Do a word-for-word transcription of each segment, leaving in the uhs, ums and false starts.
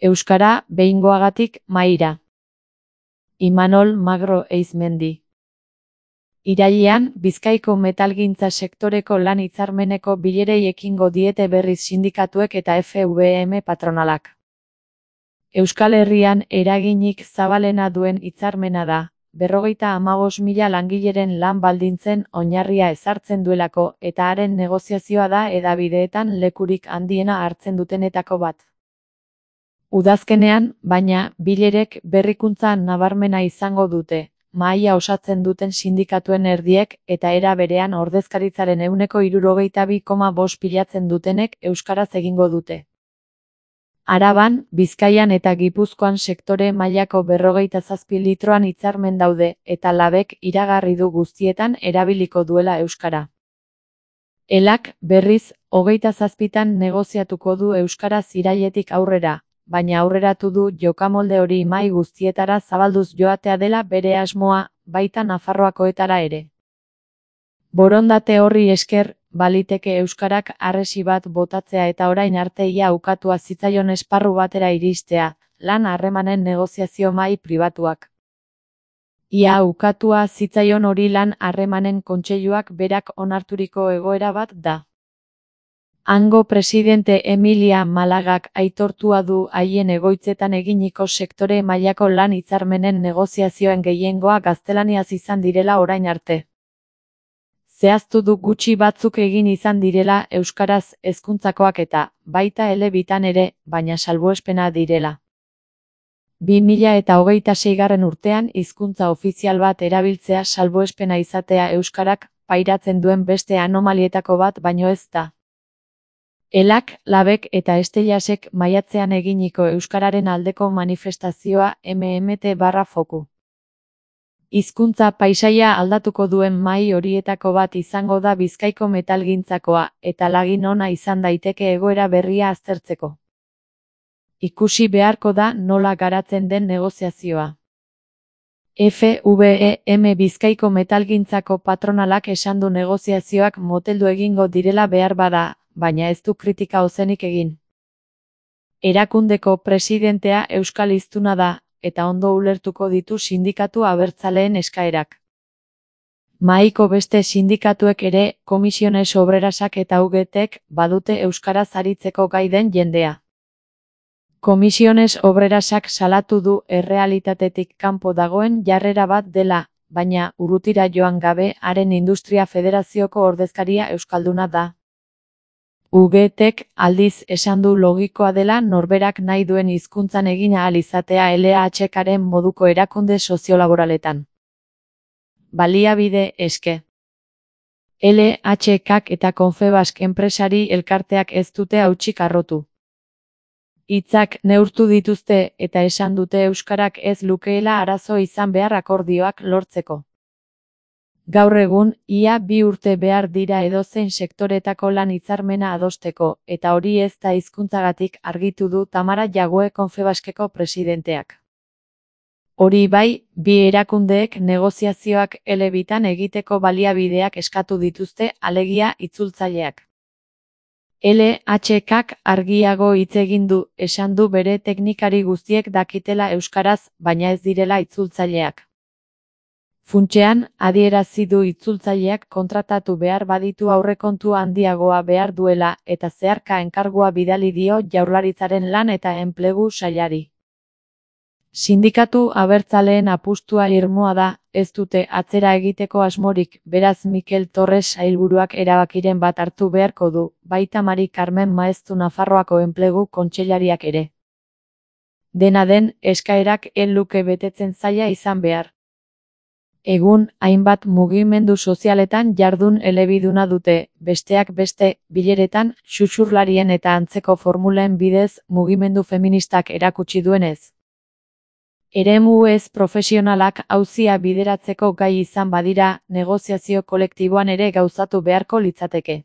Euskara behingoagatik mahaira. Imanol Magro Eizmendi. Irailean, Bizkaiko metalgintza sektoreko lan hitzarmeneko bilerei ekingo diete berriz sindikatuek eta F V M patronalak. Euskal Herrian eraginik zabalena duen hitzarmena da, berrogeita hamabost mila langileren lan baldintzen oinarria ezartzen duelako eta haren negoziazioa da hedabideetan lekurik handiena hartzen dutenetako bat. Udazkenean, baina, bilerek berrikuntza nabarmena izango dute, mahaia osatzen duten sindikatuen erdiek eta era berean ordezkaritzaren ehuneko hirurogeita bi koma bost pilatzen dutenek euskaraz egingo dute. Araban, Bizkaian eta Gipuzkoan sektore mailako berrogeita zazpi litroan hitzarmen daude eta Labek iragarri du guztietan erabiliko duela euskara. Elak, berriz, hogeita zazpitan negoziatuko du euskaraz irailetik aurrera, baina aurreratu du jokamolde hori mahai guztietara zabalduz joatea dela bere asmoa, baita Nafarroakoetara ere. Borondate horri esker, baliteke euskarak harresi bat botatzea eta orain arte ia ukatua zitzaion esparru batera iristea, lan harremanen negoziazio mahai pribatuak. Ia ukatua zitzaion hori lan harremanen kontseiluak berak onarturiko egoera bat da. Hango presidente Emilia Malagak aitortua du haien egoitzetan eginiko sektore mailako lan hitzarmenen negoziazioen gehiengoa gaztelaniaz izan direla orain arte. Zehaztu du gutxi batzuk egin izan direla euskaraz hezkuntzakoak eta, baita elebitan ere, baina salbuespena direla. bi mila eta hogeita seigarren urtean hizkuntza ofizial bat erabiltzea salbuespena izatea euskarak pairatzen duen beste anomalietako bat baino ez da. Elak, Labek eta Estellasek maiatzean eginiko euskararen aldeko manifestazioa M M T barra foku. Hizkuntza paisaia aldatuko duen mahai horietako bat izango da Bizkaiko metalgintzakoa eta lagin ona izan daiteke egoera berria aztertzeko. Ikusi beharko da nola garatzen den negoziazioa. F V M Bizkaiko metalgintzako patronalak esan du negoziazioak moteldu egingo direla behar bada, baina ez du kritika ozenik egin. Erakundeko presidentea euskal hiztuna da, eta ondo ulertuko ditu sindikatu abertzaleen eskaerak. Mahaiko beste sindikatuek ere, Komisiones Obrerasak eta U G Tek badute euskaraz aritzeko gai den jendea. Komisiones Obrerasak salatu du errealitatetik kanpo dagoen jarrera bat dela, baina urrutira joan gabe haren Industria Federazioko ordezkaria euskalduna da. U G Tek aldiz esan du logikoa dela norberak nahi duen hizkuntzan egin ahal izatea L H Karen moduko erakunde soziolaboraletan. Baliabide eske. L H Kak eta Confebask enpresari elkarteak ez dute hautsik harrotu. Hitzak neurtu dituzte eta esan dute euskarak ez lukeela arazo izan behar akordioak lortzeko. Gaur egun, ia bi urte behar dira edozein sektoretako lan hitzarmena adosteko, eta hori ez da hizkuntzagatik argitu du Tamara Jague Confebaskeko presidenteak. Hori bai, bi erakundeek negoziazioak elebitan egiteko baliabideak eskatu dituzte alegia itzultzaileak. L H Kak argiago hitz egin du, esan du bere teknikari guztiek dakitela euskaraz, baina ez direla itzultzaileak. Funtsean, adierazi du itzultzaileak kontratatu behar baditu aurrekontu handiagoa behar duela eta zeharka enkargua bidali dio Jaurlaritzaren lan eta enplegu sailari. Sindikatu abertzaleen apustua irmoa da, ez dute atzera egiteko asmorik, beraz Mikel Torres sailburuak erabakiren bat hartu beharko du, baita Mari Carmen Maeztu Nafarroako enplegu kontseilariak ere. Dena den, eskaerak ez luke betetzen zaila izan behar. Egun, hainbat mugimendu sozialetan jardun elebiduna dute, besteak beste, bileretan, xuxurlarien eta antzeko formulen bidez mugimendu feministak erakutsi duenez. Eremu ez profesionalak auzia bideratzeko gai izan badira, negoziazio kolektiboan ere gauzatu beharko litzateke.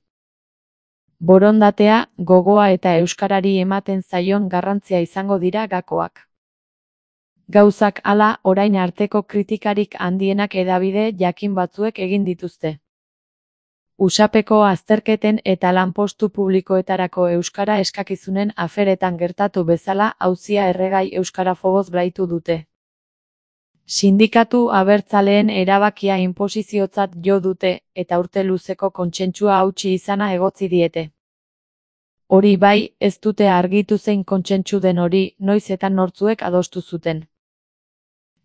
Borondatea, gogoa eta euskarari ematen zaion garrantzia izango dira gakoak. Gauzak hala orain arteko kritikarik handienak hedabide jakin batzuek egin dituzte. Usapeko azterketen eta lanpostu publikoetarako euskara eskakizunen aferetan gertatu bezala auzia erregai euskarafoboz blaitu dute. Sindikatu abertzaleen erabakia inposiziotzat jo dute eta urte luzeko kontsentsua hautsi izana egotzi diete. Hori bai, ez dute argitu zein kontsentsu den hori, noiz eta nortzuek adostu zuten.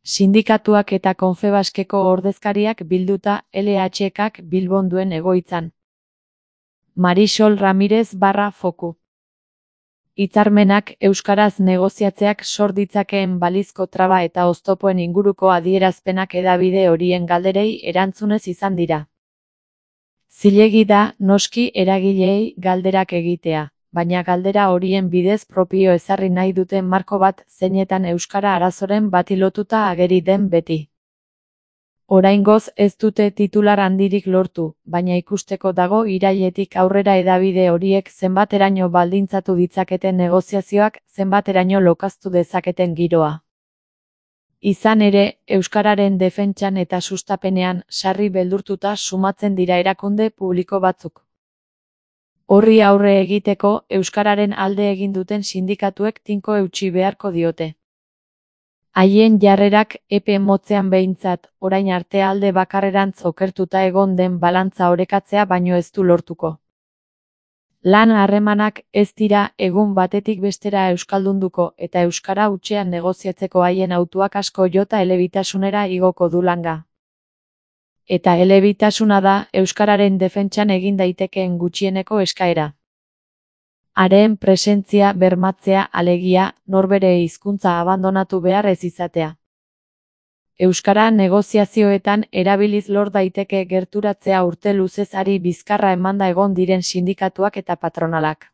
Sindikatuak eta Konfebaskeko ordezkariak bilduta L H K Bilbon duen egoitzan. Marisol Ramirez barra foku. Hitzarmenak euskaraz negoziatzeak sor ditzakeen balizko traba eta oztopoen inguruko adierazpenak hedabide horien galderei erantzunez izan dira. Zilegi da, noski eragileei galderak egitea, baina galdera horien bidez propio ezarri nahi duten marko bat zeinetan euskara arazoren bati lotuta ageri den beti. Oraingoz ez dute titular handirik lortu, baina ikusteko dago irailetik aurrera hedabide horiek zenbateraino baldintzatu ditzaketen negoziazioak, zenbateraino lokaztu dezaketen giroa. Izan ere, euskararen defentsan eta sustapenean sarri beldurtuta sumatzen dira erakunde publiko batzuk. Horri aurre egiteko, euskararen alde egin duten sindikatuek tinko eutsi beharko diote. Haien jarrerak epe motzean behintzat, orain arte alde bakarrerantz okertuta egon den balantza orekatzea baino ez du lortuko. Lan harremanak ez dira egun batetik bestera euskaldunduko eta euskara hutsean negoziatzeko haien hautuak asko jota elebitasunera igoko du langa. Eta elebitasuna da euskararen defentsan egin daitekeen gutxieneko eskaera. Haren presentzia bermatzea alegia, norbere hizkuntza abandonatu behar ez izatea. Euskara negoziazioetan erabiliz lor daiteke gerturatzea urte luzez ari bizkarra emanda egon diren sindikatuak eta patronalak.